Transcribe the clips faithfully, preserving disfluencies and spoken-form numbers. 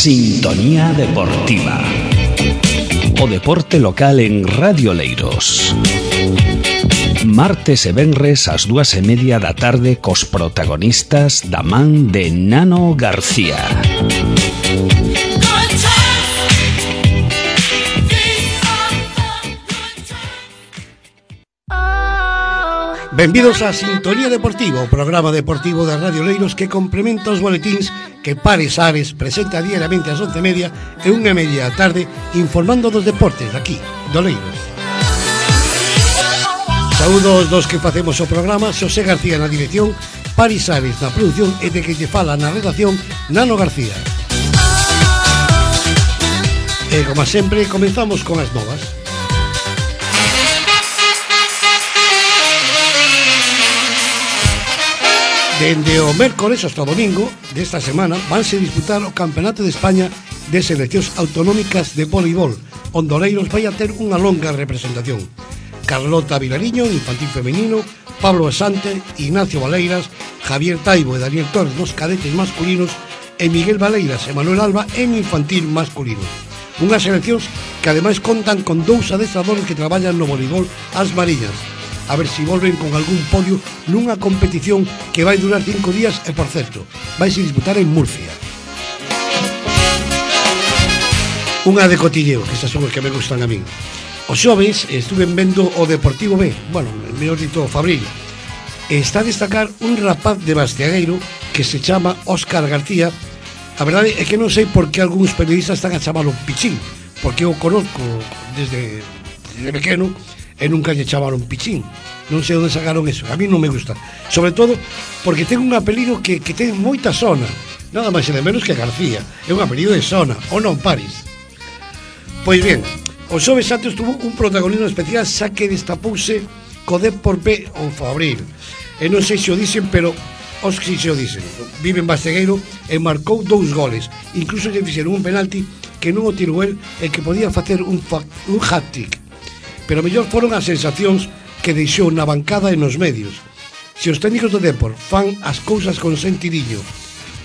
Sintonía Deportiva. O deporte local en Radio Leiros. Martes e venres ás dúas e media da tarde cos protagonistas da man de Nano García. Benvidos a Sintonía Deportiva, o programa deportivo da Radio Leiros que complementa os boletíns que Pares Ares presenta diariamente ás once e media e unha e media da tarde informando dos deportes daqui, do Leiros. Saúdos dos que facemos o programa, Xosé García na dirección, Pares Ares na produción e de que lle fala na redacción Nano García. E como sempre, comenzamos con as novas. Dende o mércores hasta o domingo desta semana vanse disputar o Campeonato de España de Seleccións Autonómicas de Voleibol, onde o Leiros vai a ter unha longa representación. Carlota Vilariño, infantil femenino, Pablo Asante, Ignacio Valeiras, Javier Taibo e Daniel Torres nos cadetes masculinos e Miguel Valeiras e Manuel Alba en infantil masculino. Unhas seleccións que ademais contan con dous adestradores que traballan no voleibol ás mariñas. A ver se volven con algún podio nunha competición que vai durar cinco días e, por certo, vai se disputar en Murcia. Unha de cotilleo, que estas son os que me gustan a min. Os xoves estuve vendo o Deportivo B, bueno, mellor dito o Fabril. Está a destacar un rapaz de Bastiagueiro que se chama Óscar García. A verdade é que non sei por que algúns periodistas están a chamalo Pichín, porque eu conozco desde, desde pequeno e nunca lle chamaron Pichín. Non sei onde sacaron eso, a mí non me gusta, sobre todo porque ten un apelido que, que ten moita sona, nada máis e de menos que García. É un apelido de sona, ou non, Paris? Pois bien, o xoves antes tuvo un protagonismo especial, xa que destapouse co Depor B ou Fabril, e non sei se o dicen, pero os que se o dicen. Vive en Bastegueiro e marcou dous goles, incluso lle fixeron un penalti que non o tirou el e que podía facer un, un hat-trick. Pero mellor foron as sensacións que deixou na bancada e nos medios. Se os técnicos do Depor fan as cousas con sentidiño,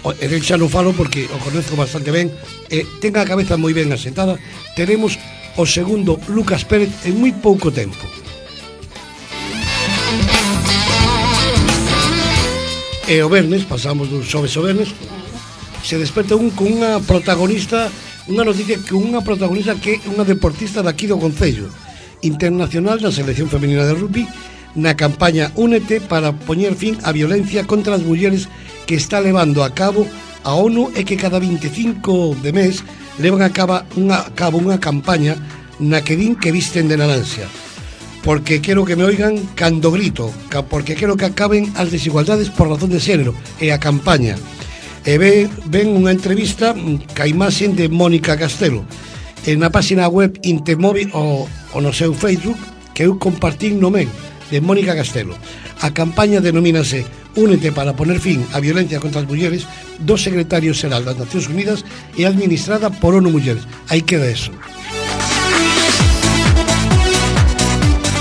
e del xa non falo porque o conozco bastante ben e ten a cabeza moi ben asentada, teremos o segundo Lucas Pérez en moi pouco tempo. E o vernes, pasamos do xoves ao vernes, se desperta un con unha protagonista, unha noticia que unha protagonista que é unha deportista daqui do Concello, internacional na selección femenina de rugby, na campaña Únete para poñer fin á violencia contra as mulleres que está levando a cabo a ONU e que cada veinticinco de mes levan a cabo unha, a cabo unha campaña na que din que visten de naranxa. Porque quero que me oigan cando grito, porque quero que acaben as desigualdades por razón de xénero, e a campaña. E ven, ven unha entrevista ca imaxen de Mónica Castelo en na página web Intemóvil o, o no seu Facebook, que eu compartín no men de Mónica Castelo. A campaña denomínase Únete para poner fin á violencia contra as mulleres do secretario xeral das Nacións Unidas e administrada por ONU Mulleres. Aí queda eso.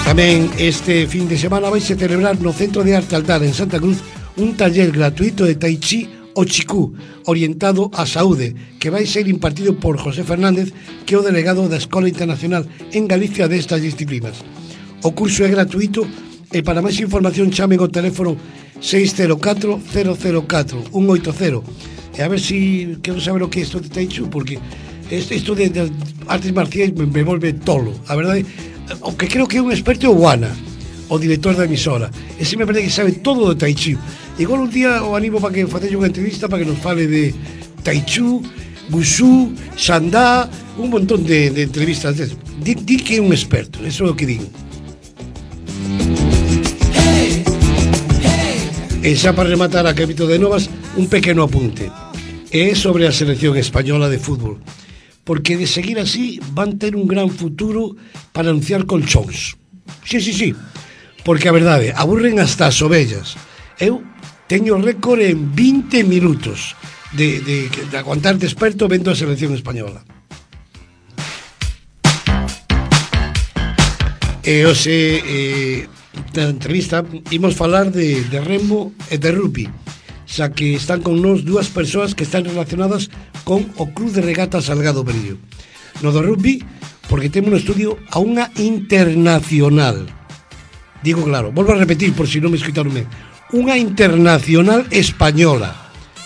Tamén este fin de semana vai se celebrar no Centro de Arte Altar en Santa Cruz un taller gratuito de Tai Chi o Chicú, orientado á saúde, que vai ser impartido por José Fernández, que é o delegado da Escola Internacional en Galicia destas disciplinas. O curso é gratuito e para máis información chamen ao teléfono seis cero catro, cero cero catro, un oito cero. E a ver si quero saber o que é isto de Tai Chi, porque isto de, de artes marciais me, me volve tolo. A verdade, o que creo que é un experto é o Guana, o director da emisora. Ese me parece que sabe todo de Tai Chi. Igual un día o animo para que facelle unha entrevista para que nos fale de Tai Chi, Wushu, Shandá, un montón de, de entrevistas. Di, di que é un experto, eso é o que digo. E xa para rematar a capítulo de novas, un pequeno apunte. É sobre a selección española de fútbol. Porque de seguir así van ter un gran futuro para anunciar colchóns. Sí, sí, sí. Porque a verdade, aburren hasta as ovellas. Eu teño récord en vinte minutos de, de, de aguantar desperto vendo a selección española. E hoxe, eh, na entrevista, imos falar de, de remo e de rugby. xa que están con nos dúas persoas que están relacionadas con o Club de Regatas Salgado Perillo. No do rugby, porque temos no estudio a unha internacional. Digo claro, volvo a repetir por si non me escoitaron ben. Unha internacional española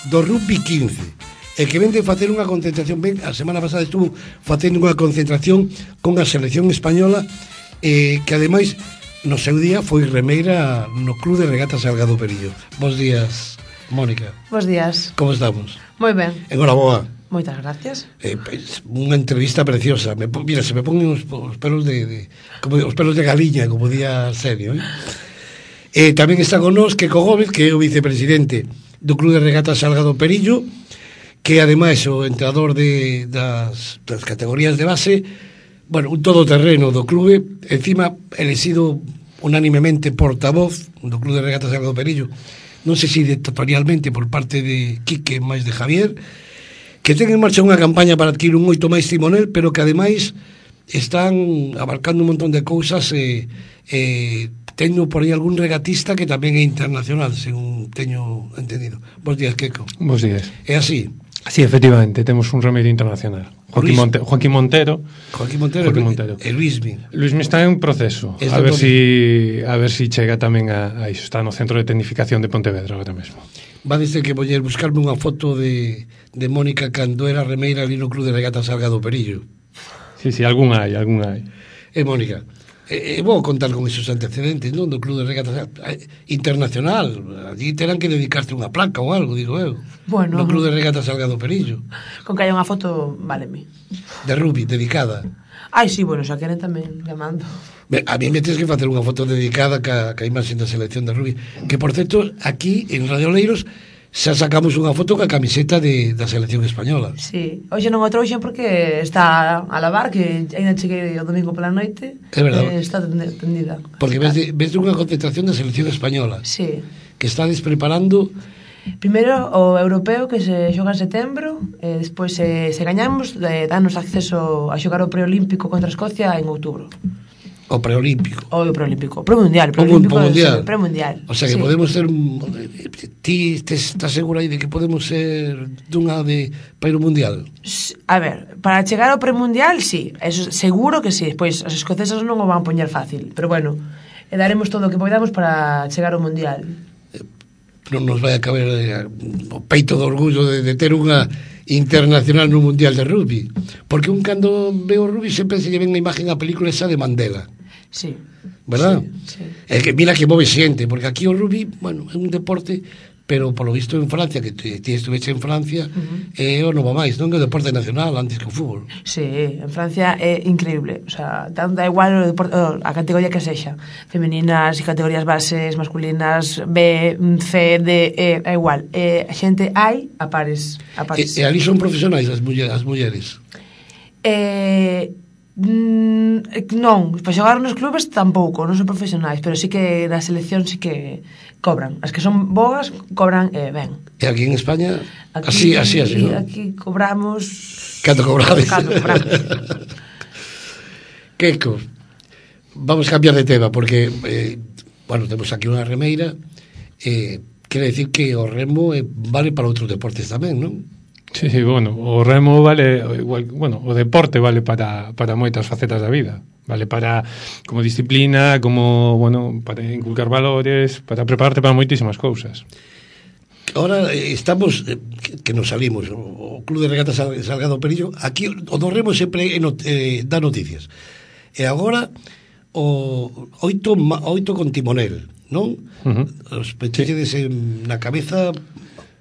do rugby quince, e que vende facer unha concentración ben, a semana pasada estuvo facendo unha concentración con a selección española, eh, que ademais no seu día foi remeira no Club de Regatas Salgado Perillo. Bos días, Mónica. Bos días. Como estamos? Moi ben. Enhoraboa. Moitas gracias. Eh, pues, unha entrevista preciosa. Me, mira, se me ponen os, os pelos de, de como os pelos de galiña, como día serio, eh? Eh, tamén está con nós Queco Gómez, que é o vicepresidente do Club de Regatas Salgado Perillo, que ademais o entrenador de, das, das categorías de base, bueno, un todoterreno do clube, encima elegido unánimemente portavoz do Club de Regatas Salgado Perillo, non sei se dictatorialmente por parte de Quique máis de Javier, que ten en marcha unha campaña para adquirir un oito máis timonel, pero que ademais están abarcando un montón de cousas, e eh, eh, teño por aí algún regatista que tamén é internacional, según teño entendido. Bos días, Queco. Bos días. É así? Sí, efectivamente, temos un remedio internacional. Joaquín, Monte, Joaquín Montero. Joaquín Montero, Joaquín Montero. E Luismi. Luismi está en proceso. Está a ver si a ver si chega tamén a, a iso. Está no Centro de Tecnificación de Pontevedra agora mesmo. Va a dizer que voller buscarme unha foto de, de Mónica cando era remeira ali no Club de Regatas Salgado Perillo. Sí, sí, algún hai, algún hai. E Mónica, e, e vou contar con esos antecedentes, non? Do Club de Regatas Internacional. Allí terán que dedicarte unha placa ou algo, digo eu. Bueno, no Club de Regatas Salgado Perillo. Con que haya unha foto, váleme. De rugby, dedicada. Ai, sí, bueno, xa queren tamén llamando. A mí me tens que facer unha foto dedicada ca, ca imaxe da selección de rugby, que por certo, aquí en Radio Oleiros xa sacamos unha foto ca camiseta de, da selección española. Sí, hoxe non o trouxen porque está a lavar, que ainda cheguei o domingo pola noite. É verdade. Eh, está tendida. Porque ves, de, ves de unha concentración da selección española. Sí. Que estades preparando. Primeiro o europeo, que se xoga en setembro, e despois se, se gañamos, eh, danos acceso a xogar o preolímpico contra Escocia en outubro. O preolímpico. O preolímpico, premundial, preolímpico, o mundial. premundial. O sea que sí, podemos ser, ti te estás segura aí de que podemos ser dunha de para ir ao mundial? A ver, para chegar ao premundial, sí, eso seguro que sí. Pois os escoceses non o van poñer fácil, pero bueno, e daremos todo o que podamos para chegar ao mundial. Non nos vai a caber eh, o peito de orgullo de, de ter unha internacional no mundial de rugby, porque un cando ve o rugby sempre se lle ven a imagen a película esa de Mandela. Sí. ¿Verdad? Sí, sí. É que mira que move xente, porque aquí o rugby, bueno, é un deporte, pero polo visto en Francia, que ti estuveche en Francia, uh-huh, é o novo máis, non? É o deporte nacional antes que o fútbol. Sí, en Francia é increíble, o sea, da igual o deporte, a categoría que sexa, femeninas e categorías bases, masculinas, B, C, D, E, é igual, e a xente hai a pares, a pares. E, e ali son profesionais as mulleres, as mulleres. Eh, mm, non, para xogar nos clubes tampouco, non son profesionais, pero sí que na selección sí que cobran. As que son boas cobran eh, ben. E aquí en España aquí, así, así, así, ¿no? Aquí cobramos Canto cobrades? Canto cobramos. Queco, vamos a cambiar de tema porque eh, bueno, temos aquí unha remeira, eh, quere decir que o remo eh, vale para outros deportes tamén, non? Sí, sí, bueno, o remo vale igual, bueno, o deporte vale para, para moitas facetas da vida. Vale para como disciplina, como, bueno, para inculcar valores, para prepararte para moitísimas cousas. Ahora eh, estamos eh, que, que nos salimos o, o Club de Regatas Salgado Perillo, aquí o do remo sempre eh, not, eh, dá noticias. E agora o oito, oito con timonel, non? Uh-huh. Os pechedes sí, na cabeza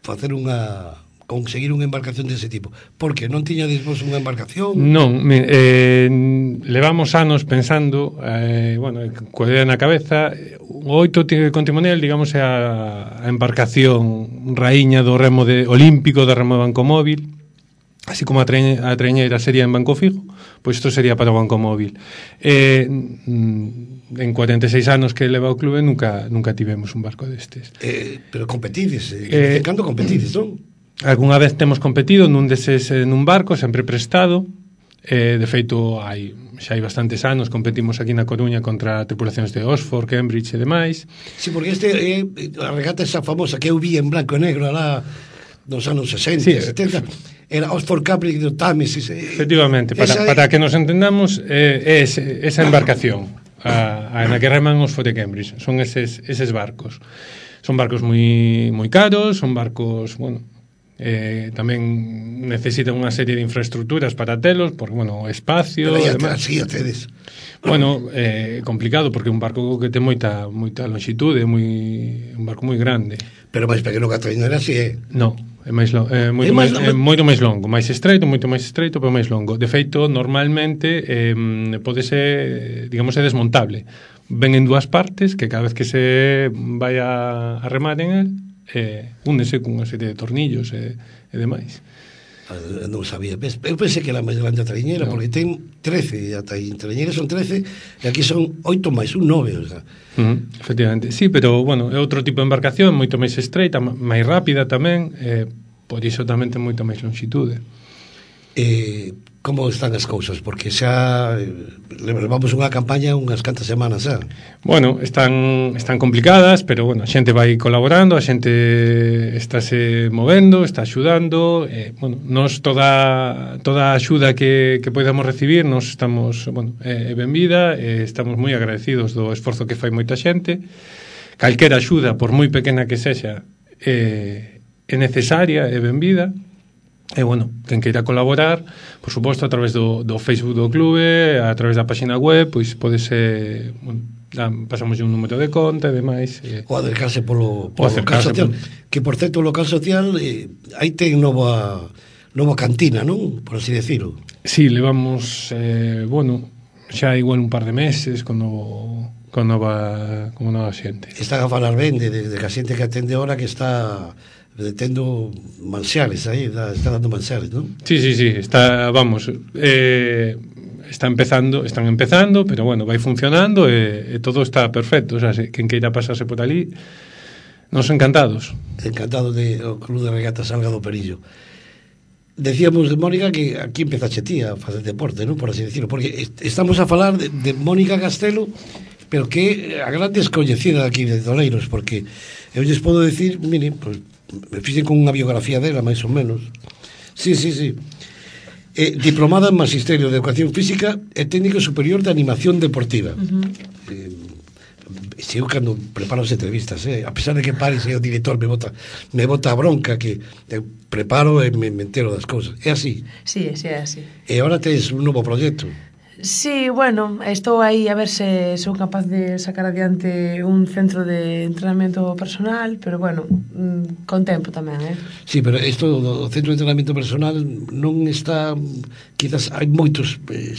facer unha conseguir unha embarcación dese tipo. Por que? Non tiñades vos unha embarcación? Non, me, eh, levamos anos pensando, eh, bueno, coa idea na cabeza, o oito con timonel, digamos, é a, a embarcación raíña do remo de, olímpico do remo de banco móvil, así como a, treñe, a treñeira sería en banco fijo, pois isto sería para o banco móvil. Eh, en cuarenta e seis anos que leva o clube nunca nunca tivemos un barco destes. Eh, pero competides, eh, eh, cando competides, non? Algún vez temos competido nun deses, nun barco, sempre prestado, Eh, de feito, hai, xa hai bastantes anos competimos aquí na Coruña contra tripulacións de Oxford, Cambridge e demais. Sí, porque este é eh, a regata esa famosa que eu vi en blanco e negro alá nos anos sesenta, sí, setenta, era Oxford Cambridge do Támesis. Eh, efectivamente, para, esa, para que nos entendamos, eh, é ese, esa embarcación a, a na que reman Oxford e Cambridge, son eses, eses barcos. Son barcos moi moi caros, son barcos, bueno, Eh, tamén necesitan unha serie de infraestructuras para telos, porque, bueno, espacio e demás. así a tedes. Bueno, eh, complicado, porque é un barco que ten moita moita longitude, moi un barco moi grande. Pero máis pequeno que a trainera, así é. No, é máis lo, é moito É máis máis, é longo. moito máis longo, máis estreito, moito máis estreito, pero máis longo. De feito, normalmente eh, pode ser, digamos, é desmontable. Ven en dúas partes, que cada vez que se vai a, a remar en el, eh, únese cunha serie de tornillos e, e demais. Non sabía. Eu pensei que era máis grande a traiñera, no. Porque ten trece, a traiñera son trece, e aquí son oito máis un, nove, o sea. Uh-huh, efectivamente. Sí, pero, bueno, é outro tipo de embarcación, moito máis estreita, máis rápida tamén, eh, por iso tamén ten moita máis longitude. Eh, como están as cousas? Porque xa eh, levamos unha campaña unhas cantas semanas xa. Bueno, están están complicadas, pero bueno, a xente vai colaborando, a xente estáse movendo, está axudando, eh, bueno, nos toda toda a axuda que, que podamos recibir, nos estamos, bueno, é eh, benvida, eh, estamos moi agradecidos do esforzo que fai moita xente. Calquera axuda, por moi pequena que sexa, eh, é necesaria, é benvida. E, bueno, quen queira colaborar, por suposto, a través do, do Facebook do clube, a través da página web, pois pode ser, bueno, pasamos un número de conta e demais. E, ou acercarse polo, polo local social, por... que, por certo, o local social eh, aí ten nova, nova cantina, non? Por así decirlo. Sí, levamos, eh, bueno, xa igual un par de meses con novo, con nova, con nova xente. Están a falar ben de, de, de que a xente que atende ahora que está tendo manxares aí, está dando manxares, non? Sí, sí, sí, está, vamos, eh, está empezando, están empezando, pero bueno, vai funcionando e, e todo está perfecto, o sea, se, quen queira pasarse por ali, nos encantados. Encantado de o Club de Regatas Salga do Perillo. Decíamos de Mónica que aquí empezache ti a facer deporte, non? Por así decirlo, porque estamos a falar de, de Mónica Castelo, pero que a gran descoñecida aquí de Toleiros, porque eu lles podo decir, mire, pues, me fixen con unha biografía dela, máis ou menos. Sí, sí, sí. Eh, diplomada en Magisterio de Educación Física e Técnico Superior de Animación Deportiva. Uh-huh. Eh, se eu cando preparo as entrevistas, eh, a pesar de que Paris é o director, me bota, me bota a bronca, que eu preparo e me, me entero das cousas. É así? Sí, sí, é así. E agora tes un novo proxecto. Sí, bueno, estou aí a ver se sou capaz de sacar adiante un centro de entrenamiento personal, pero bueno, con tempo tamén, eh? Sí, pero isto do centro de entrenamiento personal non está, quizás hai moitos, eh,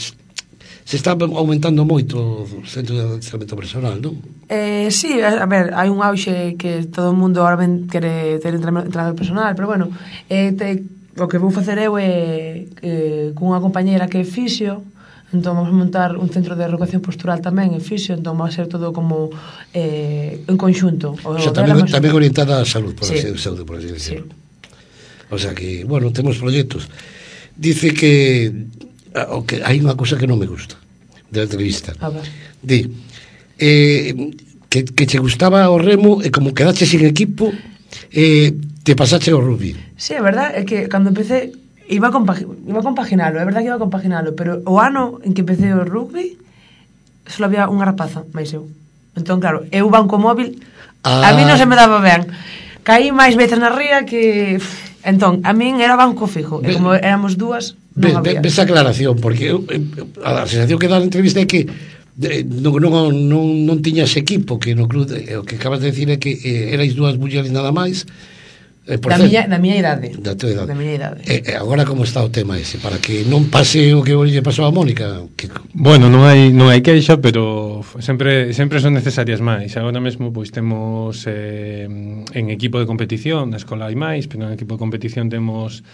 se está aumentando moito o centro de entrenamiento personal, non? Eh, sí, a ver, hai un auxe que todo o mundo ahora ben quere ter entrenador personal, pero bueno, eh, te, o que vou facer eu é eh, cunha compañera que é fisio. Entón vamos a montar un centro de reeducación postural tamén en fisio, entón va a ser todo como eh, en conxunto. O sea, tamén, tamén orientada á salud, por, sí. así, saúde, por así decirlo. Sí. O sea que, bueno, temos proxectos. Dice que, o que hai unha cosa que non me gusta da entrevista. A ver. Di, eh, que, que che gustaba o remo e como quedache sin equipo, eh, te pasache ao rugby. Sí, é verdad, é que cando empecé iba a, compagi iba a compaginalo, é verdad que iba a compaginalo, pero o ano en que empecé o rugby só había unha rapaza, máis eu. Entón, claro, eu banco móvil, ah. a mí non se me daba ben. Caí máis veces na ría que... Entón, a min era banco fijo, e como éramos dúas, non había. Ves a aclaración, porque eu, a sensación que dá na entrevista é que de, non, non, non, non tiñas equipo, que no club, o que acabas de decir é que eh, erais dúas mulleres nada máis. Eh, da, miña, da miña idade. Da tua idade. Da miña idade. E eh, agora como está o tema ese? Para que non pase o que lle pasou a Mónica. Que... Bueno, non hai non hai queixa, pero sempre sempre son necesarias máis. Agora mesmo pois temos eh, en equipo de competición, na escola hai máis, pero en equipo de competición temos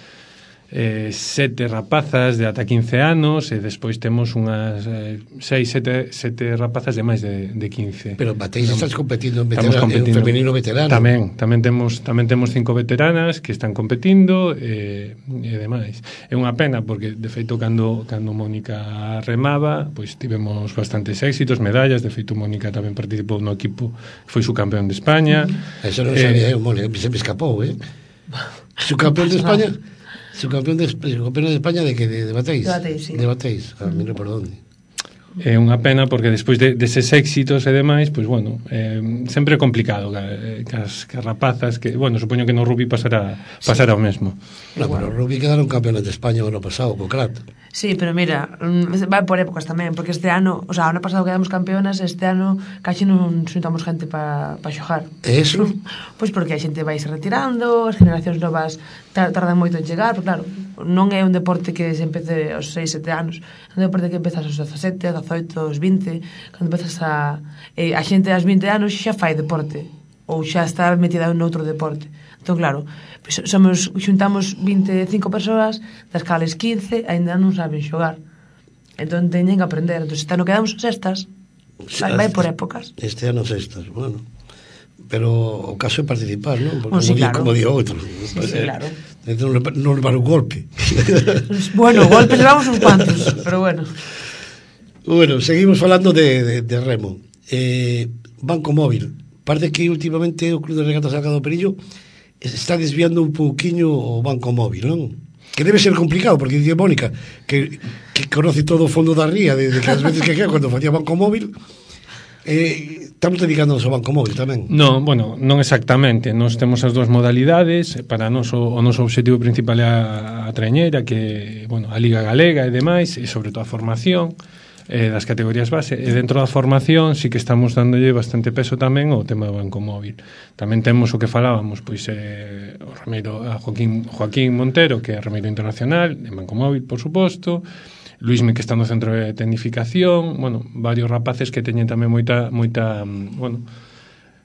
eh, sete rapazas de ata quince anos e despois temos unhas eh, seis, sete, sete rapazas de máis de, de quince. Pero batéis, estás competindo en, Estamos veterano, competindo. en femenino veterano. Tamén, tamén temos tamén temos cinco veteranas que están competindo e, e demais. É unha pena porque de feito cando cando Mónica remaba, pois tivemos bastantes éxitos, medallas, de feito Mónica tamén participou no equipo que foi subcampeón de España. Uh-huh. Eso non sabía eu, Mónica, se me escapou, eh. Subcampeón de España. Subcampeón de, subcampeón de España de que de, de batéis. De batéis, sí. De batéis, a mí non por onde. É unha pena porque despois de, deses éxitos e demais, pois bueno, eh, sempre é complicado que, que, as, que as rapazas que, bueno, supoño que no rugby pasará pasará sí. o mesmo. No, pero o rugby quedaron campeones de España o ano pasado, co Crat. Sí, pero mira, vai por épocas tamén, porque este ano, o sea, o ano pasado quedamos campeonas, este ano casi non xuntamos gente para pa xogar. E eso? Pois porque a xente vai se retirando, as generacións novas tardan moito en chegar, pero claro, non é un deporte que se empece aos seis, sete anos, é un deporte que empezas aos dezasete, dezaoito, aos vinte, cando empezas a... Eh, a xente aos vinte anos xa fai deporte, ou xa está metida en outro deporte. Entón, claro, pues somos, xuntamos vinte e cinco persoas, das cales quince aínda non saben xogar. Entón, teñen que aprender. Entón, este ano quedamos sextas, vai, vai por épocas. Este ano sextas, bueno... Pero o caso é participar, non? Porque oh, sí, como, claro. di, como di outro. Sí, sí, claro. Non, non levar un golpe. Bueno, golpes levamos uns cuantos, pero bueno. Bueno, seguimos falando de, de, de remo. Eh, Banco Móvil. Parece que últimamente o Club de Regatas Alcado Perillo está desviando un pouquiño o Banco Móvil, non? Que debe ser complicado, porque dice Mónica que, que conoce todo o fondo da ría de, de que as veces que queda cando facía Banco Móvil. Eh, estamos dedicándonos ao Banco Móvil tamén. Non, bueno, non exactamente. Nós temos as dúas modalidades. Para nós o, o noso obxectivo principal é a, a trañeira, que, bueno, a Liga Galega e demais, e sobre todo a formación eh, das categorías base. E dentro da formación sí que estamos dándolle bastante peso tamén ao tema do Banco Móvil. Tamén temos o que falábamos, pois eh, o remeiro a Joaquín, Joaquín Montero, que é remeiro internacional, en Banco Móvil, por suposto. Luismi, que está no centro de tecnificación, bueno, varios rapaces que teñen tamén moita moita, bueno,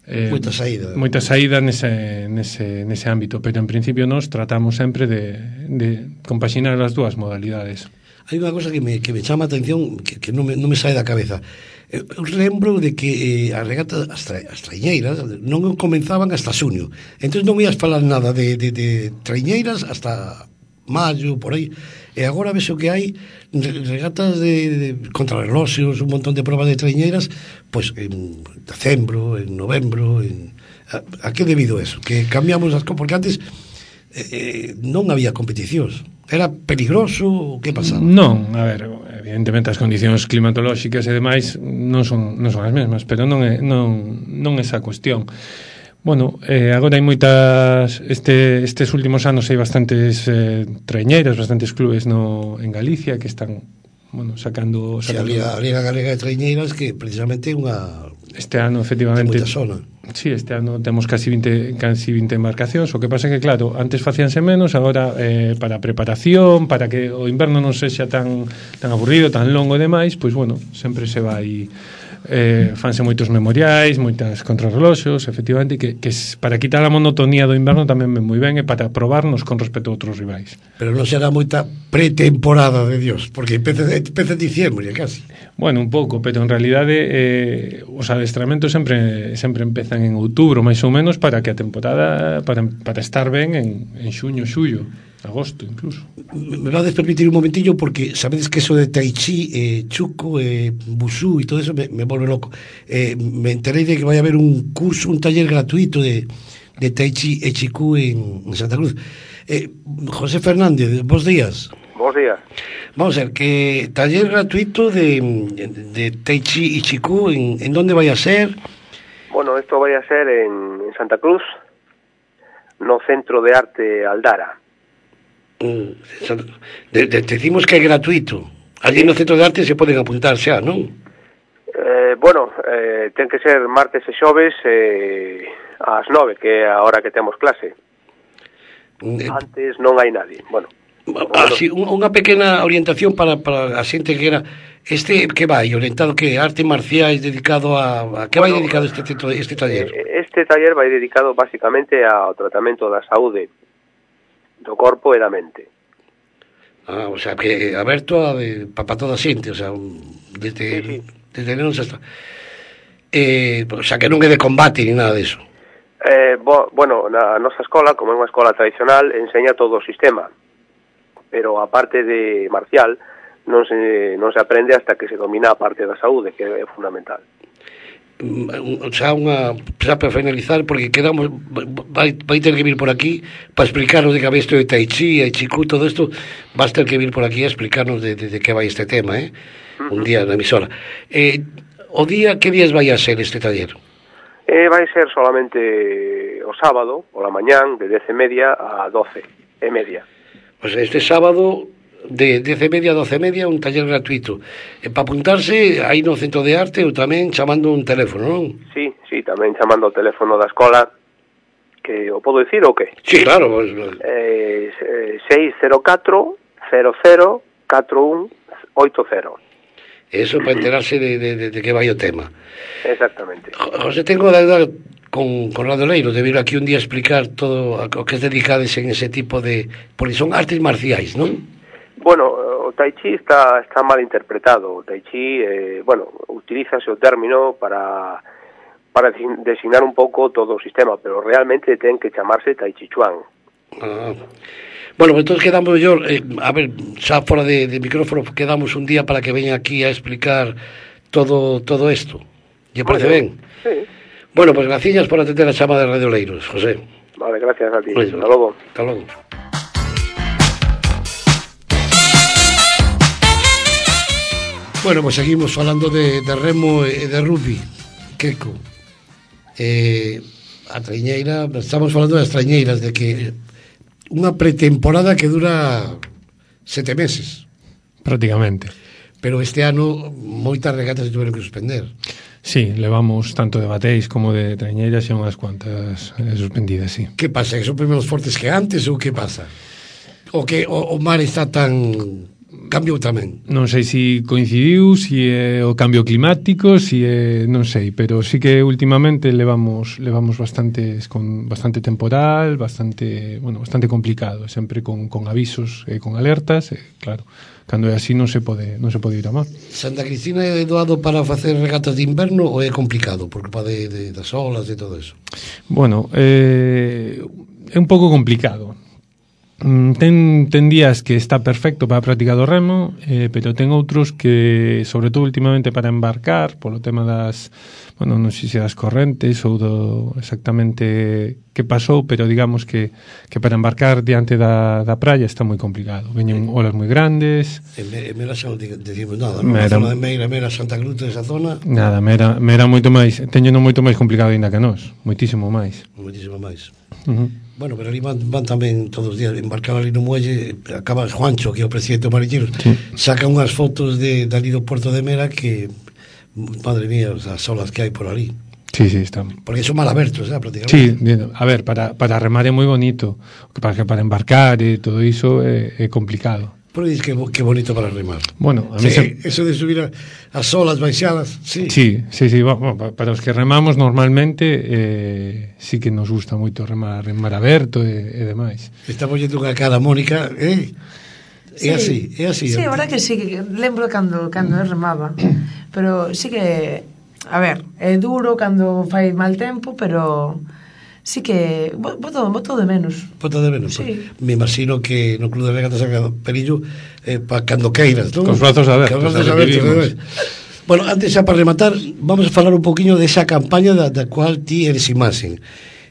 eh, moita saída. Moita saída nese nese nese ámbito, pero en principio nós tratamos sempre de de compaxinar as dúas modalidades. Hai unha cosa que me que me chama a atención que que non me non me sae da cabeza. Eu lembro de que eh, as regatas as, tra, as traiñeiras non comenzaban hasta xuño. Entón non ías falar nada de de de traiñeiras hasta maio, por aí. E agora ves o que hai regatas de, de contrarreloxos, un montón de probas de traiñeiras, pois en decembro, en novembro, en... A, a que debido eso? Que cambiamos as cosas, porque antes eh, non había competicións. Era peligroso, que pasaba? Non, a ver, evidentemente as condicións climatolóxicas e demais non son non son as mesmas, pero non é non non esa cuestión. Bueno, eh, agora hai moitas este, estes últimos anos hai bastantes eh, traiñeiras, bastantes clubes no, en Galicia que están, bueno, sacando, sacando... Sí, a Liga Galega de Traiñeiras que precisamente é unha este ano efectivamente moita zona. Sí, este ano temos casi vinte, casi vinte embarcacións. O que pasa é que, claro, antes facíanse menos, agora eh, para preparación, para que o inverno non sexa tan tan aburrido, tan longo e demais, pois bueno, sempre se vai eh, fanse moitos memoriais, moitas contrarreloxos, efectivamente, que, que para quitar a monotonía do inverno tamén ven moi ben e para probarnos con respecto a outros rivais. Pero non será moita pretemporada de Dios, porque empeza, empeza en diciembre, casi. Bueno, un pouco, pero en realidade eh, os adestramentos sempre sempre empezan en outubro, máis ou menos, para que a temporada para, para estar ben en, en xuño, xullo, agosto incluso. Me vades permitir un momentillo, porque sabedes que eso de Tai Chi, eh, Chuco, eh, Busú e todo eso me, me volve loco. Eh, me enterei de que vai haber un curso, un taller gratuito de, de Tai Chi e Chiku en, en Santa Cruz. Eh, José Fernández, bons días. Bons días. Vamos a ver, que taller gratuito de, de Tai Chi y Chiku, ¿en, ¿en dónde vai a ser? Bueno, esto vai a ser en, en Santa Cruz, no Centro de Arte Aldara. Mm, de, de, decimos que é gratuito. Allí no Centro de Arte se poden apuntar xa, non? Eh, bueno, eh, ten que ser martes e xoves eh, ás nove, que é a hora que temos clase. Mm, Antes non hai nadie, bueno. Así, unha pequena orientación para, para a xente que era este que vai orientado que arte marciais dedicado a, a que vai bueno, dedicado este este taller. Este taller vai dedicado basicamente ao tratamento da saúde do corpo e da mente. Ah, o sea, que aberto a de, pa, pa toda a xente, o sea, desde, sí, sí. desde nenos hasta... Eh, o sea, que non é de combate ni nada diso. Eh, bo, bueno, na nosa escola, como é unha escola tradicional, enseña todo o sistema, pero a parte de marcial non se, non se aprende hasta que se domina a parte da saúde, que é fundamental. O sea, unha, xa para finalizar, porque quedamos, vai, vai ter que vir por aquí para explicarnos de que había isto de Tai Chi, Tai Chi Ku, todo isto, vas ter que vir por aquí a explicarnos de, de, de que vai este tema, eh? Uh-huh. Un día na emisora. Eh, o día, que días vai a ser este taller? Eh, vai ser solamente o sábado, pola mañán, de dez e media a doce e media. Pois pues este sábado, de dez e media a doce e media, un taller gratuito. E para apuntarse, aí no Centro de Arte, ou tamén chamando un teléfono, non? Sí, sí, tamén chamando o teléfono da escola, que o podo dicir ou que? Sí, claro. Pues... Eh, seis cero catro cero cero catro un oito cero. Eso para enterarse de, de, de, de que vai o tema. Exactamente. José, tengo de ayudar con, con Radio Leiro, de vir aquí un día a explicar todo o que es dedicades en ese tipo de... Porque son artes marciais, non? Bueno, o Tai Chi está, está mal interpretado. O Tai Chi, eh, bueno, utilízase o término para, para designar un pouco todo o sistema, pero realmente ten que chamarse Tai Chi Chuan. Ah... Bueno, pues entonces quedamos yo, eh, a ver, xa fora de, de micrófono, quedamos un día para que veña aquí a explicar todo todo isto. ¿Lle parece ben? Sí. Bueno, pues gracias por atender a chamada de Radio Leiros, José. Vale, gracias a ti. Pues, hasta logo. Hasta logo. Bueno, pues seguimos falando de, de remo e de rugby. Queco. Eh, a traiñeira, estamos falando das traiñeiras, de que unha pretemporada que dura sete meses. Prácticamente. Pero este ano moitas regatas se tuveron que suspender. Sí, levamos tanto de bateis como de traiñeiras e unhas cuantas eh, suspendidas, sí. Que pasa? Que son primeiros fortes que antes ou que pasa? O que o, o mar está tan... cambiou tamén? Non sei se coincidiu, se é o cambio climático, se é, non sei, pero sí que últimamente levamos levamos bastantes con bastante temporal, bastante, bueno, bastante complicado, sempre con con avisos e con alertas, e claro, cando é así non se pode non se pode ir a mar. Santa Cristina é doado para facer regatas de inverno ou é complicado por culpa de, de das olas e todo eso? Bueno, eh é un pouco complicado. Ten, ten días que está perfecto para a práctica do remo, eh, pero ten outros que, sobre todo últimamente para embarcar, polo tema das, bueno, non sei se das correntes ou do exactamente que pasou, pero digamos que, que para embarcar diante da, da praia está moi complicado. Veñen olas moi grandes. En Mera xa non decimos nada, non? Mera, a zona de Meira, Mera, Santa Cruz, esa zona... Nada, Mera, Mera moito máis, teño moito máis complicado ainda que nós, moitísimo máis. Moitísimo máis. Uh -huh. Bueno, pero ali van, van tamén todos os días embarcar ali no muelle, acaba Juancho, que é o presidente do Mariñeiro, sí. Saca unhas fotos de, de ali do Porto de Mera que, madre mía, as olas que hai por ali. Sí, sí, están. Porque son mal abertos, eh, prácticamente. Sí, a ver, para, para remar é moi bonito, para, para embarcar e todo iso é, é complicado. Pero dices que, que bonito para remar. Bueno, a mí sí, se... eso de subir a, as olas baixadas, sí. Sí, sí, sí, bueno, para os que remamos normalmente eh, sí que nos gusta moito remar en mar aberto e, e demais. Estamos yendo unha cara, Mónica, eh? Sí. É así, é así. Sí, a verdad que sí, que lembro cando, cando eu remaba, pero sí que, a ver, é duro cando fai mal tempo, pero... Sí que boto, boto de menos. Boto de menos, sí. Pues, me imagino que no Club de Regatas Sagrado Perillo eh, para cando queiras, ¿no? Con os brazos abertos. Con os brazos abertos. Bueno, antes xa para rematar, vamos a falar un poquinho desa campaña da, da cual ti eres imaxen.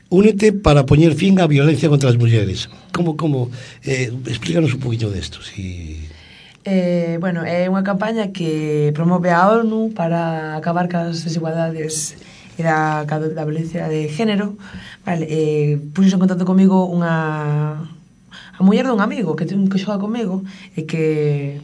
Únete para poñer fin á violencia contra as mulleres. Como, como, eh, explícanos un poquinho desto, si... Eh, bueno, é unha campaña que promove a ONU para acabar cas desigualdades e da, da violencia de género. Vale, eh, puxo en contacto comigo unha a muller dun amigo que, que xoga comigo e que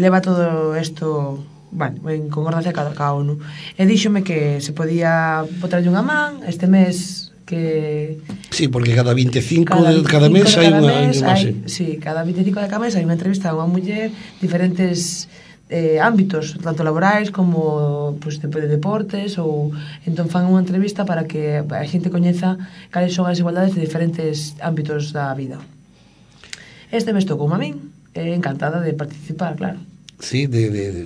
leva todo isto, bueno, en concordancia ca, ca ONU, e díxome que se podía botarlle unha man este mes, que sí, porque cada vinte e cinco cada, de cada mes hai unha hai, sí, cada vinte e cinco de cada mes hai unha entrevista a unha muller, diferentes eh, ámbitos, tanto laborais como pues, de, de deportes, ou entón fan unha entrevista para que a xente coñeza cales son as igualdades de diferentes ámbitos da vida. Este mes tocou a min, eh, encantada de participar, claro. Sí, de, de, de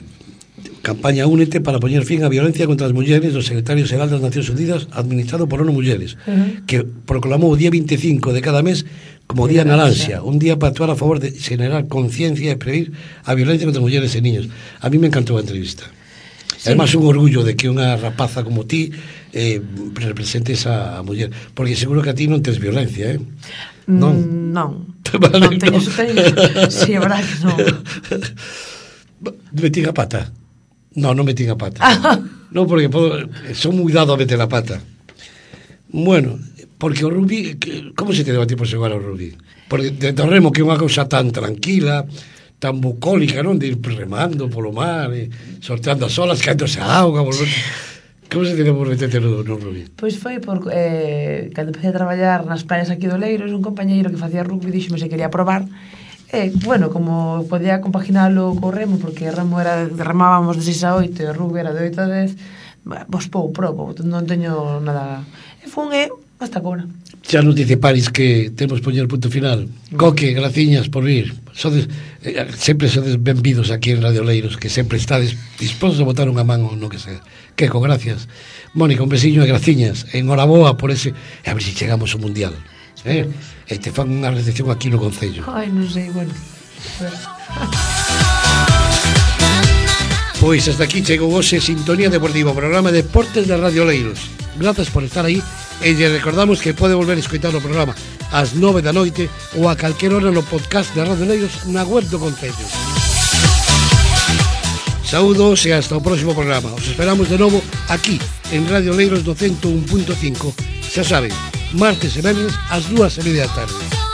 campaña Únete para poñer fin á violencia contra as mulleres do secretario xeral das Nacións Unidas administrado por ONU Mulleres, uh-huh. que proclamou o día veinticinco de cada mes como Día Naranxa, un día para actuar a favor de generar conciencia e prevenir a violencia contra as mulleres e niños. A mí me encantou a entrevista. Sí. Además, un orgullo de que unha rapaza como ti eh, representes a, a muller, porque seguro que a ti non tes violencia, eh? Non? Mm, non. Vale, non teño, no. teño. Si, é verdad que non. Metín a pata. No, non metín a pata. Non, porque podo, son moi dado a meter a pata. Bueno, porque o rugby, como se te deba ti por xogar ao rugby? Porque de remo, que é unha cousa tan tranquila, tan bucólica, non? De ir remando polo mar, e sorteando as olas, caéndose a auga, volver... Como se te deba por meterte no, no rugby? Pois foi por, eh, cando empecé a traballar nas playas aquí do Leiros, un compañeiro que facía rugby dixome se quería probar. E, bueno, como podía compaginalo co remo, porque remo era, remábamos de seis a oito e o rugby era de oito a dez, pois pou, probo, non teño nada. E fun e hasta agora. Xa nos dice Paris que temos poñer punto final. Coque, graciñas por vir. Sodes, eh, sempre sodes benvidos aquí en Radio Leiros, que sempre estades dispostos a botar unha man ou no que sea. Queco, gracias. Mónica, un besiño e graciñas. Enhoraboa por ese... A ver se si chegamos ao Mundial. Eh? E te fan unha recepción aquí no Concello. Ai, non sei, bueno. Pois hasta aquí chegou hoxe Sintonía Deportiva, programa de Deportes de Radio Leiros. Grazas por estar aí e lle recordamos que pode volver a escoitar o programa ás nove da noite ou a calquer hora no podcast de Radio Leiros na web do Concello. Saúdos e hasta o próximo programa. Os esperamos de novo aquí en Radio Leiros do ciento un punto cinco. Xa saben, martes e venres ás dúas e media da tarde.